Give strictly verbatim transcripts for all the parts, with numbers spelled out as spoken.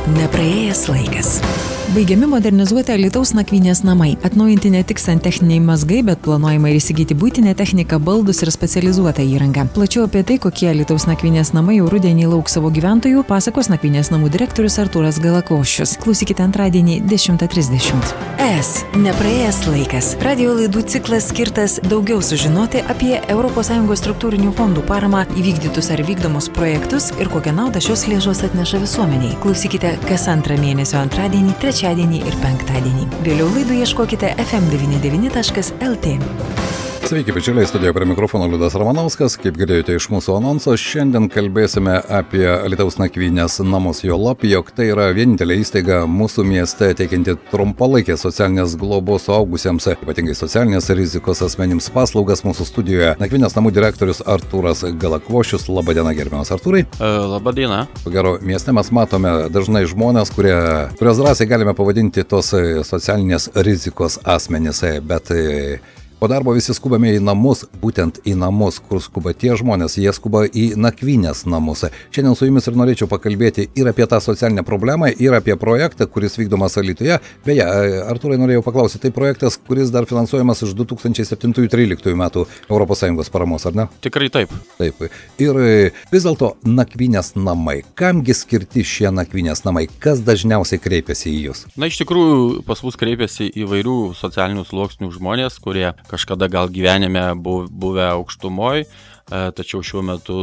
Nepraėjęs laikas. Baigiami modernizuoti Alytaus nakvynės namai. Atnaujinti ne tik santechniniai mazgai, bet planuojama ir įsigyti buitinę techniką, baldus ir specializuotą įrangą. Plačiau apie tai, kokie Alytaus nakvynės namai jau rudenį lauks savo gyventojų, pasakos nakvynės namų direktorius Artūras Galakvošius. Klausykite antradienį dešimtą trisdešimt. Es. Nepraėjęs laikas. Radio laidų ciklas skirtas daugiau sužinoti apie Europos Sąjungos struktūrinių fondų paramą, įvykdytus ar vykdomus projektus ir kokią naudą šios lėšos atneša visuomeniai. Klausykite kas antrą mėnesio antradienį, trečiadienį ir penktadienį. Vėliau laidų ieškokite ef em devyniasdešimt devyni taškas el tė. Sveiki, bičiuliai, studijoje prie mikrofono Liudas Ramanauskas. Kaip girdėjote iš mūsų anonso, šiandien kalbėsime apie Alytaus nakvynės namus, juolab, jog tai yra vienintelė įstaiga mūsų mieste teikianti trumpalaikės socialinės globos suaugusiems, ypatingai socialinės rizikos asmenims paslaugas. Mūsų studijoje nakvynės namų direktorius Artūras Galakvošius. Labą dieną, gerbiamas Artūrai. Labą dieną. Ko gero, mieste mes matome dažnai žmonės, kurie, kurios drąsiai galime pavadinti tos socialinės rizikos asmenys, bet po darbo visi skubame į namus, būtent į namus, kur skuba tie žmonės, jie skuba į nakvynės namus. Šiandien su jumis ir norėčiau pakalbėti ir apie tą socialinę problemą, ir apie projektą, kuris vykdomas Alytuje. Beje, Artūrai, norėjau paklausyti, tai projektas, kuris dar finansuojamas iš du tūkstančiai septintų tryliktų metų Europos Sąjungos paramos, ar ne? Tikrai taip. Taip. Ir vis dėlto nakvynės namai. Kamgi skirti šie nakvynės namai? Kas dažniausiai kreipiasi į jūs? Na, iš tikrųjų, pas mus kreipiasi įvairių socialinių sluoksnių žmonės, kurie kažkada gal gyvenime buvę aukštumoj, tačiau šiuo metu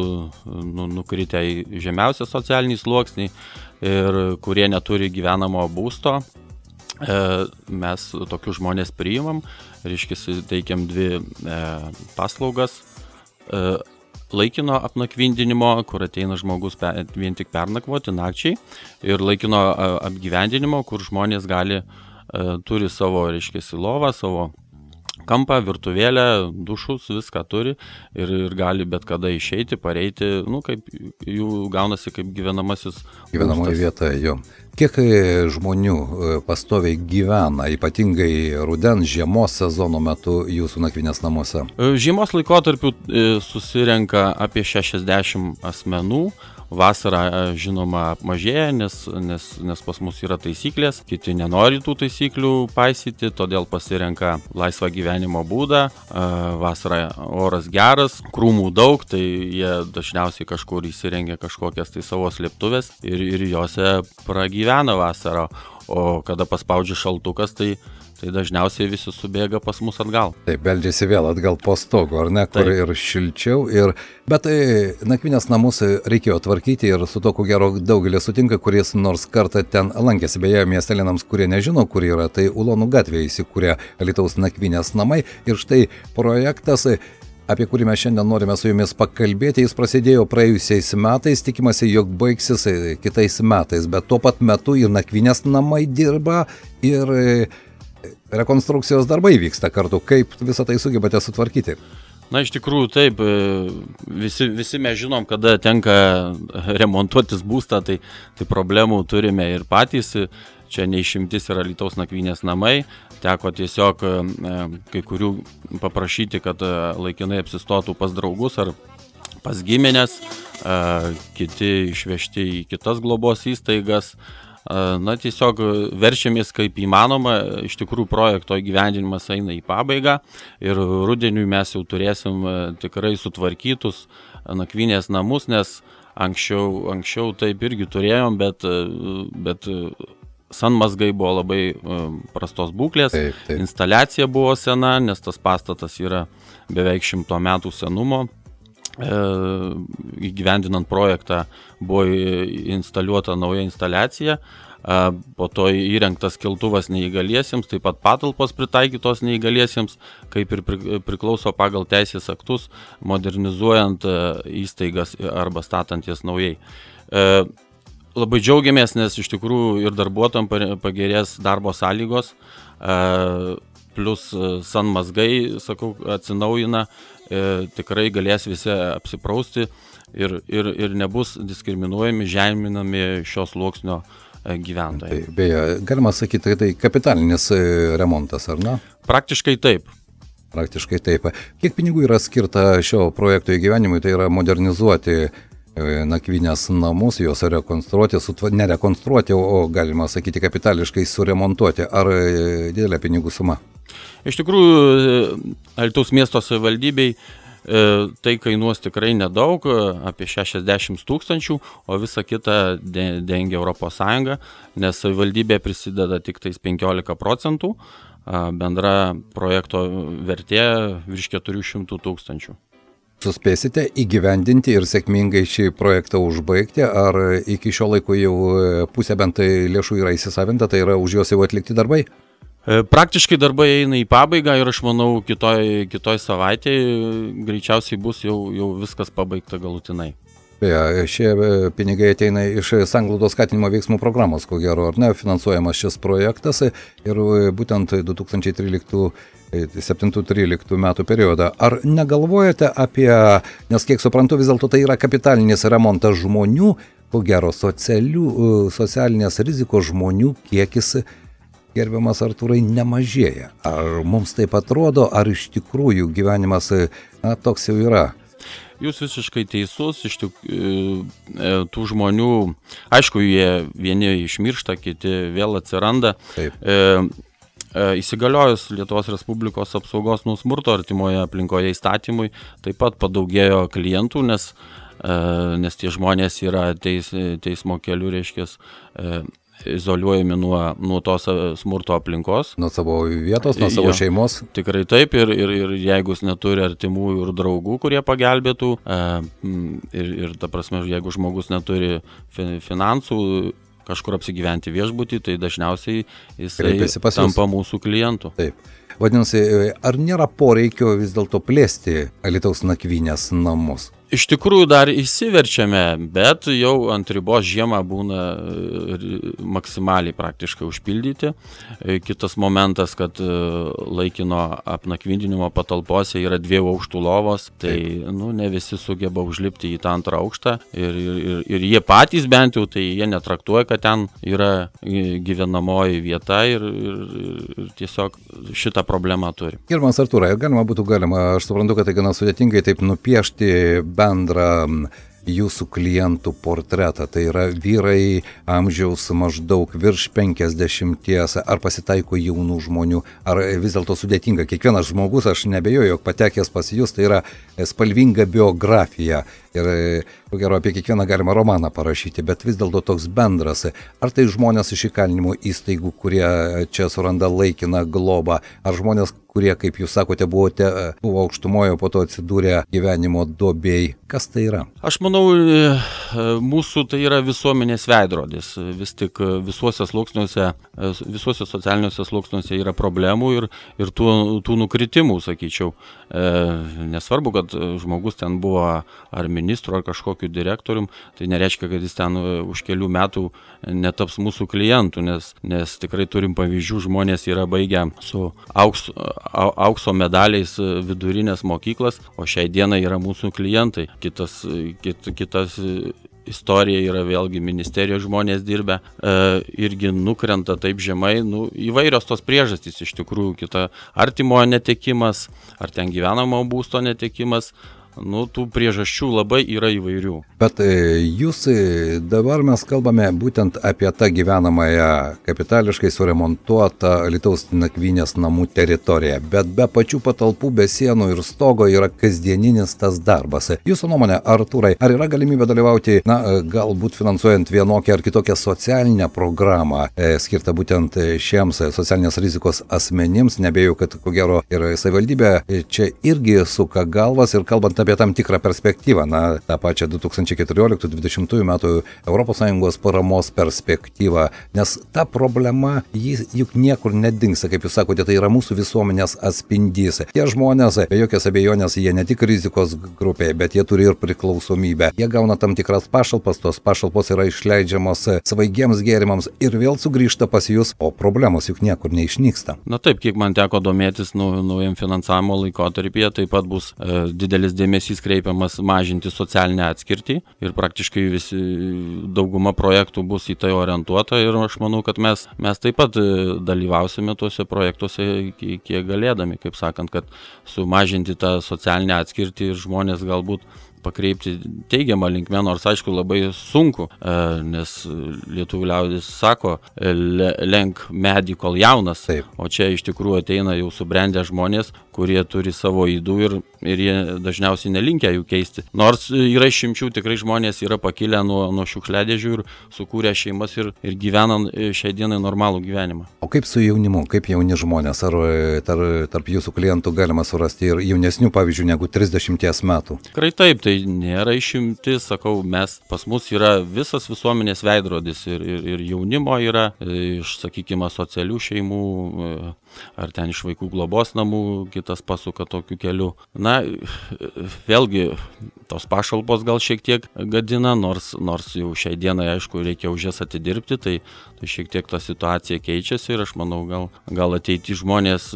nu, nukritę į žemiausią socialinį sluoksnį ir kurie neturi gyvenamo būsto. Mes tokius žmonės priimam, reiškia, teikiam dvi paslaugas. Laikino apnakvindinimo, kur ateina žmogus vien tik pernakvoti nakčiai, ir laikino apgyvendinimo, kur žmonės gali, turi savo, reiškia, lovą, savo kampą, virtuvėlę, dušus, viską turi ir, ir gali bet kada išeiti, pareiti, nu, kaip jų gaunasi kaip gyvenamasis gyvenamoji vieta, jo. Kiek žmonių pastoviai gyvena, ypatingai rudens, žiemos sezono metu jūsų nakvynės namuose? Žiemos laikotarpiu susirenka apie šešiasdešimt asmenų. Vasarą, žinoma, mažėja, nes, nes, nes pas mus yra taisyklės, kiti nenori tų taisyklių paisyti, todėl pasirenka laisvą gyvenimo būdą. Vasarą oras geras, krūmų daug, tai jie dažniausiai kažkur įsirengia kažkokias tai savo slėptuvės ir, ir jose pragyvena vasarą, o kada paspaudžia šaltukas, tai tai dažniausiai visi subėga pas mus atgal. Taip, beldžiasi vėl atgal po stogu, ar ne, kur Taip. Ir šilčiau. Ir... Bet nakvynės namus reikėjo tvarkyti ir su to, ko gero, daugelį sutinka, kuris nors kartą ten lankėsi. Beje, miestelėnams, kurie nežino, kur yra, tai Ulonų gatvėje įsikūrė Alytaus nakvynės namai. Ir štai projektas, apie kurį mes šiandien norime su jumis pakalbėti, jis prasidėjo praėjusiais metais, tikimasi, jog baigsis kitais metais. Bet tuo pat metu ir nakvynės namai dirba ir rekonstrukcijos darbai vyksta kartu. Kaip visą tai sugebate sutvarkyti? Na, iš tikrųjų, taip, visi, visi mes žinom, kada tenka remontuotis būstą, tai, tai problemų turime ir patys. Čia neišimtis yra Alytaus nakvynės namai. Teko tiesiog kai kurių paprašyti, kad laikinai apsistotų pas draugus ar pas giminės, kiti išvežti į kitas globos įstaigas. Na, tiesiog verčiamės kaip įmanoma, iš tikrųjų projekto įgyvendinimas eina į pabaigą ir rudeniui mes jau turėsim tikrai sutvarkytus nakvynės namus, nes anksčiau, anksčiau taip irgi turėjom, bet, bet sanmazgai buvo labai prastos būklės, taip, taip. Instaliacija buvo sena, nes tas pastatas yra beveik šimto metų senumo. Įgyvendinant projektą buvo instaliuota nauja instaliacija, po to įrengtas keltuvas neįgaliesiems, taip pat patalpos pritaikytos neįgaliesiems, kaip ir priklauso pagal teisės aktus, modernizuojant įstaigas arba statant jas naujai. Labai džiaugiamės, nes iš tikrųjų ir darbuotojams pagerės darbo sąlygos, plus sanmazgai, sakau, atsinaujina, e, tikrai galės visi apsiprausti ir, ir, ir nebus diskriminuojami, žeminami šios sluoksnio gyventojai. Tai, beje, galima sakyti, kad tai kapitalinis remontas, ar ne? Praktiškai taip. Praktiškai taip. Kiek pinigų yra skirta šio projekto įgyvenimui, tai yra modernizuoti nakvynės namus, juos rekonstruoti, sutva, nerekonstruoti, o galima sakyti kapitališkai suremontuoti. Ar didelė pinigų suma? Iš tikrųjų, Alytaus miesto savivaldybei tai kainuos tikrai nedaug, apie šešiasdešimt tūkstančių, o visą kitą dengia Europos Sąjunga, nes savivaldybė prisideda tik tais penkiolika procentų, bendra projekto vertė virš keturių šimtų tūkstančių. Suspėsite įgyvendinti ir sėkmingai šį projektą užbaigti, ar iki šio laiko jau pusė bent lėšų yra įsisavinta, tai yra už juos jau atlikti darbai? Praktiškai darbai eina į pabaigą ir aš manau kitoj, kitoj savaitėje greičiausiai bus jau, jau viskas pabaigta galutinai. Beje, šie pinigai ateina iš sanglaudos skatinimo veiksmų programos, ko gero, ar ne, finansuojamas šis projektas ir būtent du tūkstančiai tryliktų septintų tryliktų metų periodą. Ar negalvojate apie, nes kiek suprantu, vis dėlto tai yra kapitalinis remontas žmonių, ko gero socialių, socialinės rizikos žmonių kiekis, gerbiamas Artūrai, nemažėja. Ar mums taip atrodo, ar iš tikrųjų gyvenimas na, toks jau yra? Jūs visiškai teisus, iš tikrųjų tų žmonių, aišku, jie vieni išmiršta, kiti vėl atsiranda. Taip. E, Įsigaliojus Lietuvos Respublikos apsaugos nuo smurto artimoje aplinkoje įstatymui, taip pat padaugėjo klientų, nes, nes tie žmonės yra teis, teismo keliu, reiškia, izoliuojami nuo, nuo tos smurto aplinkos. Nuo savo vietos, nuo savo jo, šeimos. Tikrai taip, ir, ir, ir jeigu jis neturi artimųjų ir draugų, kurie pagelbėtų, ir, ir ta prasme, jeigu žmogus neturi finansų, kažkur apsigyventi viešbutį, tai dažniausiai jisai tampa mūsų klientų. Taip. Vadinasi, ar nėra poreikio vis dėlto plėsti Alytaus nakvynės namus? Iš tikrųjų dar įsiverčiame, bet jau ant ribos žiemą būna maksimaliai praktiškai užpildyti. Kitas momentas, kad laikino apnakvindinimo patalpose yra dviejų aukštų lovos, tai nu, ne visi sugeba užlipti į tą antrą aukštą ir, ir, ir jie patys bent jau, tai jie netraktuoja, kad ten yra gyvenamoji vieta ir, ir, ir tiesiog šitą problemą turi. Gerbiamas Artūrai, galima būtų galima, aš suprantu, kad tai gana sudėtingai taip nupiešti bendrą jūsų klientų portretą, tai yra vyrai amžiaus maždaug virš penkiasdešimties, ar pasitaiko jaunų žmonių, ar vis dėlto sudėtinga. Kiekvienas žmogus, aš nebejoju, jog patekęs pas jūs, tai yra spalvinga biografija ir ko gero apie kiekvieną galima romaną parašyti, bet vis dėlto toks bendras. Ar tai žmonės iš įkalinimo įstaigų, kurie čia suranda laikiną globą, ar žmonės, kurie, kaip jūs sakote, buvote, buvo aukštumoje, po to atsidūrė gyvenimo duobėj. Kas tai yra? Aš manau, mūsų tai yra visuomenės veidrodis. Vis tik visuose sluoksniuose, visuose socialiniuose sluoksniuose yra problemų ir, ir tų, tų nukritimų, sakyčiau. Nesvarbu, kad žmogus ten buvo ar ministru, ar kažkokiu direktorium, tai nereiškia, kad jis ten už kelių metų netaps mūsų klientų, nes, nes tikrai turim pavyzdžių, žmonės yra baigę su aukso, aukso medaliais vidurinės mokyklas, o šiai dienai yra mūsų klientai. Kitas, kit, kitas istorija yra vėlgi ministerijos žmonės dirbę, e, irgi nukrenta taip žemai, nu, įvairios tos priežastys iš tikrųjų, kita artimojo netekimas, ar ten gyvenamo būsto netekimas. Nu, tų priežasčių labai yra įvairių. Bet jūs dabar mes kalbame būtent apie tą gyvenamąją kapitališkai suremontuotą Alytaus nakvynės namų teritoriją, bet be pačių patalpų, be sienų ir stogo yra kasdieninis tas darbas. Jūsų nuomonė, Artūrai, ar yra galimybė dalyvauti, na, galbūt finansuojant vienokią ar kitokią socialinę programą, e, skirtą būtent šiems socialinės rizikos asmenims? Nebėjau, kad ko gero ir savivaldybė čia irgi suka galvas ir kalbant apie tam tikrą perspektyvą, na, tą pačią du tūkstančiai keturioliktų dvidešimtų metų Europos Sąjungos paramos perspektyvą, nes ta problema, jis juk niekur nedingsta, kaip jūs sakote, tai yra mūsų visuomenės atspindys. Tie žmonės, be jokios abejonės, jie ne tik rizikos grupėje, bet jie turi ir priklausomybę. Jie gauna tam tikras pašalpas, tos pašalpos yra išleidžiamos svaigiems gėrimams ir vėl sugrįžta pas jūs, o problemos juk niekur neišnyksta. Na taip, kiek man teko domėtis nu, naujam finansavimo laikotarpyje, taip pat bus e, didelis dėmesys dėmesys kreipiamas mažinti socialinę atskirtį ir praktiškai visi dauguma projektų bus į tai orientuota ir aš manau, kad mes, mes taip pat dalyvausime tuose projektuose kiek galėdami, kaip sakant, kad sumažinti tą socialinę atskirtį ir žmonės galbūt pakreipti teigiamą linkmę, nors aišku labai sunku, nes lietuvių liaudis sako, lenk medį kol jaunas, Taip. O čia iš tikrųjų ateina jau subrendę žmonės, kurie turi savo ydų ir, ir jie dažniausiai nelinkia jų keisti. Nors yra išimčių, tikrai žmonės yra pakilę nuo, nuo šiukšliadėžių ir sukūrę šeimas ir, ir gyvena šiai dienai normalų gyvenimą. O kaip su jaunimu, kaip jauni žmonės, ar tar, tarp jūsų klientų galima surasti ir jaunesnių, pavyzdžiui, negu trisdešimties metų? Tikrai taip, tai nėra išimtis, sakau, mes pas mus yra visas visuomenės veidrodis ir, ir, ir jaunimo yra iš, sakykime, socialių šeimų ar ten iš vaikų globos namų, kitas pasuka tokiu keliu. Na, vėlgi, tos pašalpos gal šiek tiek gadina, nors, nors jau šiai dienai, aišku, reikia už jas atidirbti, tai, tai šiek tiek ta situacija keičiasi ir aš manau, gal, gal ateity žmonės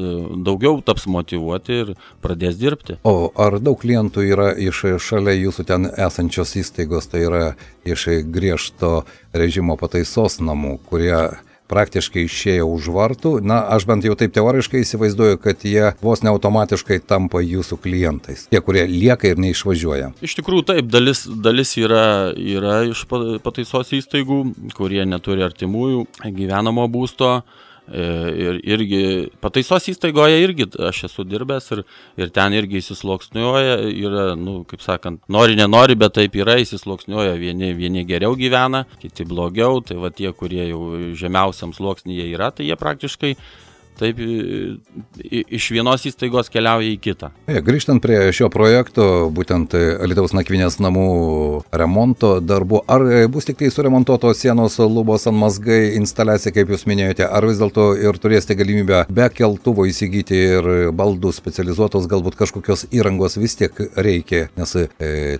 daugiau taps motyvuoti ir pradės dirbti. O ar daug klientų yra iš šalia jūsų ten esančios įstaigos, tai yra iš griežto režimo pataisos namų, kurie praktiškai išėjo už vartų? Na, aš bent jau taip teoriškai įsivaizduoju, kad jie vos ne automatiškai tampa jūsų klientais. Tie, kurie lieka ir neišvažiuoja. Iš tikrųjų taip, dalis, dalis yra, yra iš pataisos įstaigų, kurie neturi artimųjų gyvenamo būsto. Ir irgi pataisos įstaigoje irgi aš esu dirbęs ir, ir ten irgi įsisluoksniuoja, yra, nu, kaip sakant, nori, nenori, bet taip yra, įsisluoksniuoja, vieni, vieni geriau gyvena, kiti blogiau, tai va tie, kurie jau žemiausiam sluoksnyje yra, tai jie praktiškai taip iš vienos įstaigos keliauja į kitą. Ja, grįžtant prie šio projekto, būtent Alytaus nakvynės namų remonto darbų, ar bus tik tai suremontuotos sienos, lubos, antmazgai, instaliacija, kaip jūs minėjote, ar vis dėlto ir turėsite galimybę be keltuvo įsigyti ir baldų specializuotos, galbūt kažkokios įrangos vis tiek reikia, nes e,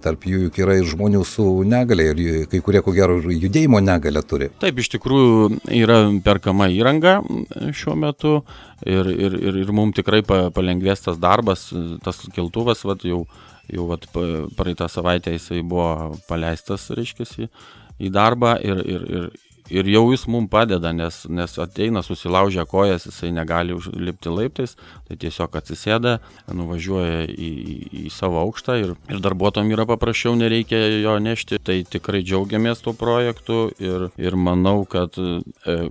tarp jų juk yra ir žmonių su negalia ir kai kurie, ko gero, judėjimo negalia turi. Taip, iš tikrųjų yra perkama įranga šiuo metu. Ir, ir, ir, ir mums tikrai palengvės tas darbas, tas keltuvas, vat, jau, jau vat, praeitą savaitę jisai buvo paleistas, reiškiasi, į darbą ir, ir, ir, ir jau jis mums padeda, nes, nes ateina, susilaužia kojas, jisai negali užlipti laiptais, tai tiesiog atsisėda, nuvažiuoja į, į savo aukštą ir, ir darbuotojams yra paprasčiau, nereikia jo nešti. Tai tikrai džiaugiamės tuo projektu ir, ir manau, kad e,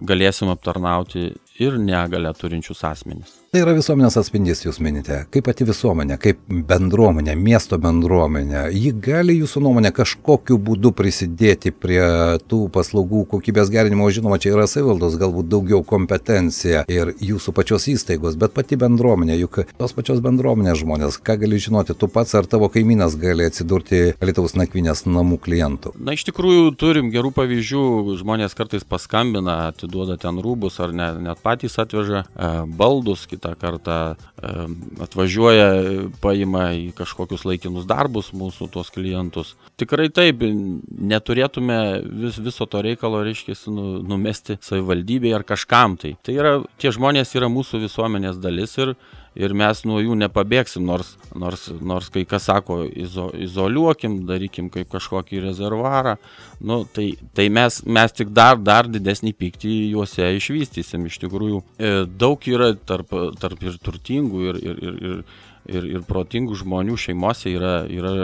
galėsim aptarnauti ir negalią turinčius asmenys. Tai yra visuomenės atspindys, jūs minite. Kaip pati visuomenė, kaip bendruomenė, miesto bendruomenė, ji gali jūsų nuomonė kažkokiu būdu prisidėti prie tų paslaugų kokybės gerinimo? Žinoma, čia yra savivaldos galbūt daugiau kompetencija ir jūsų pačios įstaigos, bet pati bendruomenė, juk tos pačios bendruomenės žmonės, ką gali žinoti, tu pats ar tavo kaimynas gali atsidurti Alytaus nakvynės namų klientų? Na, iš tikrųjų, turim gerų pavyzdžių, žmonės kartais paskambina, atiduoda ten rūbus ar ne, net patys atveža e, baldus, kitą kartą e, atvažiuoja, paima į kažkokius laikinus darbus mūsų tuos klientus. Tikrai taip, neturėtume vis, viso to reikalo, reiškia, nu, numesti savivaldybėje ar kažkam tai. Tai yra, tie žmonės yra mūsų visuomenės dalis ir ir mes nuo jų nepabėgsim, nors, nors, nors kai kas sako, izo, izoliuokim, darykim kaip kažkokį rezervuarą, nu, tai, tai mes, mes tik dar, dar didesnį pyktį juose išvystysim. Iš tikrųjų, daug yra tarp, tarp ir turtingų ir, ir, ir, ir, ir, ir protingų žmonių šeimose, yra, yra,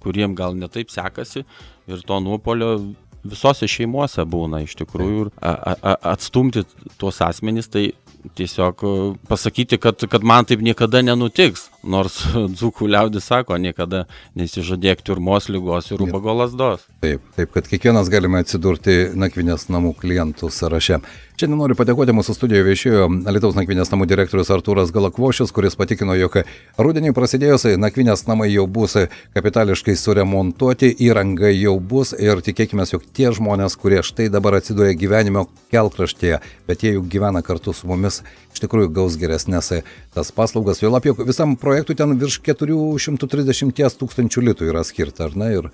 kuriem gal netaip sekasi ir to nuopolio visose šeimose būna iš tikrųjų. A, a, atstumti tuos asmenys, tai tiesiog pasakyti, kad, kad man taip niekada nenutiks, nors dzūkų liaudis sako, niekada nesižadėk tiurmos, ligos ir ubago lazdos. Taip, taip, kad kiekvienas galime atsidurti nakvynės namų klientų sąraše. Šiandien noriu padėkoti, mūsų studijoje viešėjo Alytaus nakvynės namų direktorius Artūras Galakvošius, kuris patikino, jog rudenį prasidėjus nakvynės namai jau bus kapitališkai suremontuoti, įranga jau bus ir tikėkime, jog tie žmonės, kurie štai dabar atsidūrė gyvenimo kelkraštyje, bet jie jau gyvena kartu su mumis, iš tikrųjų gaus geresnės tas paslaugas. Vėl apie visam projektui ten virš keturi šimtai trisdešimt tūkstančių litų yra skirta, ar ne? Ir...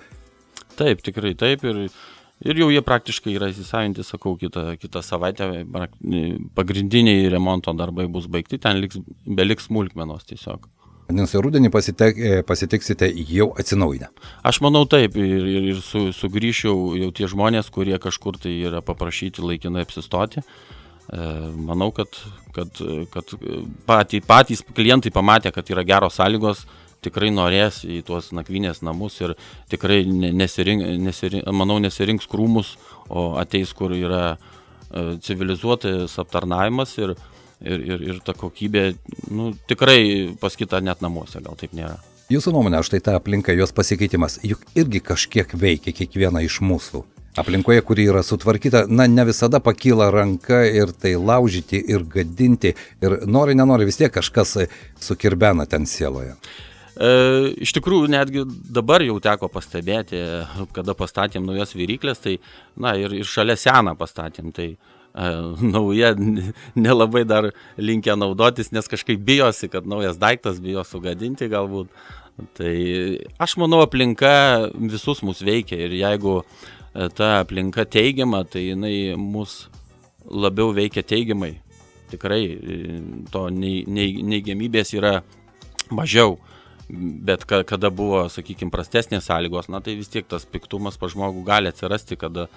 Taip, tikrai taip. Ir... Ir jau jie praktiškai yra įsisavinti, sakau, kitą, kitą savaitę pagrindiniai remonto darbai bus baigti, ten liks, beliks smulkmenos tiesiog. Nes rudenį pasitek, pasitiksite jau atsinaujinę. Aš manau taip, ir, ir, ir su, sugrįšiu jau tie žmonės, kurie kažkur tai yra paprašyti laikinai apsistoti. Manau, kad, kad, kad patys, patys klientai pamatė, kad yra geros sąlygos, tikrai norės į tuos nakvynės namus ir tikrai nesirink, nesirink, manau, nesirinks krūmus, o ateis, kur yra civilizuotas aptarnavimas ir, ir, ir, ir ta kokybė, nu, tikrai pas kitą net namuose gal taip nėra. Jūsų nuomonė, štai ta aplinka, jos pasikeitimas, juk irgi kažkiek veikia kiekvieną iš mūsų. Aplinkoje, kuri yra sutvarkyta, na, ne visada pakyla ranka ir tai laužyti ir gadinti ir nori, nenori, vis tiek kažkas sukirbena ten sieloje. E, iš tikrųjų, netgi dabar jau teko pastebėti, kada pastatėm naujas viryklės, tai, na, ir, ir šalia seną pastatėm, tai e, nauja nelabai dar linkę naudotis, nes kažkaip bijosi, kad naujas daiktas bijo sugadinti galbūt. Tai aš manau, aplinka visus mus veikia ir jeigu ta aplinka teigiama, tai jinai mus labiau veikia teigiamai. Tikrai to neigiamybės yra mažiau, bet kada buvo, sakykime, prastesnės sąlygos, na tai vis tiek tas piktumas pa žmogų gali atsirasti, kada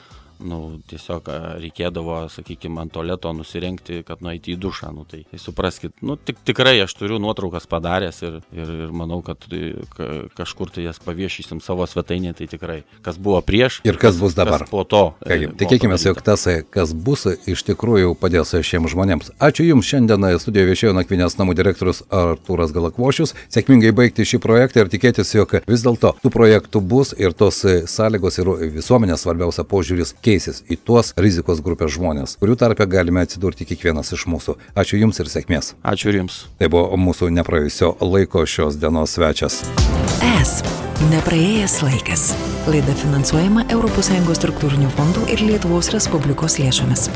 nu, tiesiog reikėdavo, sakykime, ant tualeto nusirengti, kad nueiti į dušą. Nu, tai, tai supraskit, nu, tik, tikrai aš turiu nuotraukas padaręs ir, ir, ir manau, kad ka, kažkur tai jas paviešysim savo svetainėje, tai tikrai, kas buvo prieš ir kas bus dabar. Kas po to. Kągi, tikėkime, jog tas, kas bus, iš tikrųjų padės šiems žmonėms. Ačiū Jums, šiandien studijoje viešėjo nakvynės namų direktorius Artūras Galakvošius. Sėkmingai baigti šį projektą ir tikėtis, jog vis dėlto tų projektų bus ir tos sąlygos ir visuomenės svarbiausia požiūris keisis į tuos rizikos grupės žmonės, kurių tarpe galime atsidurti kiekvienas iš mūsų. Ačiū Jums ir sėkmės. Ačiū ir Jums. Tai buvo mūsų nepraėjusio laiko šios dienos svečias. Es. Nepraėjęs laikas. Laida finansuojama Europos Sąjungos struktūrinių fondų ir Lietuvos Respublikos lėšomis.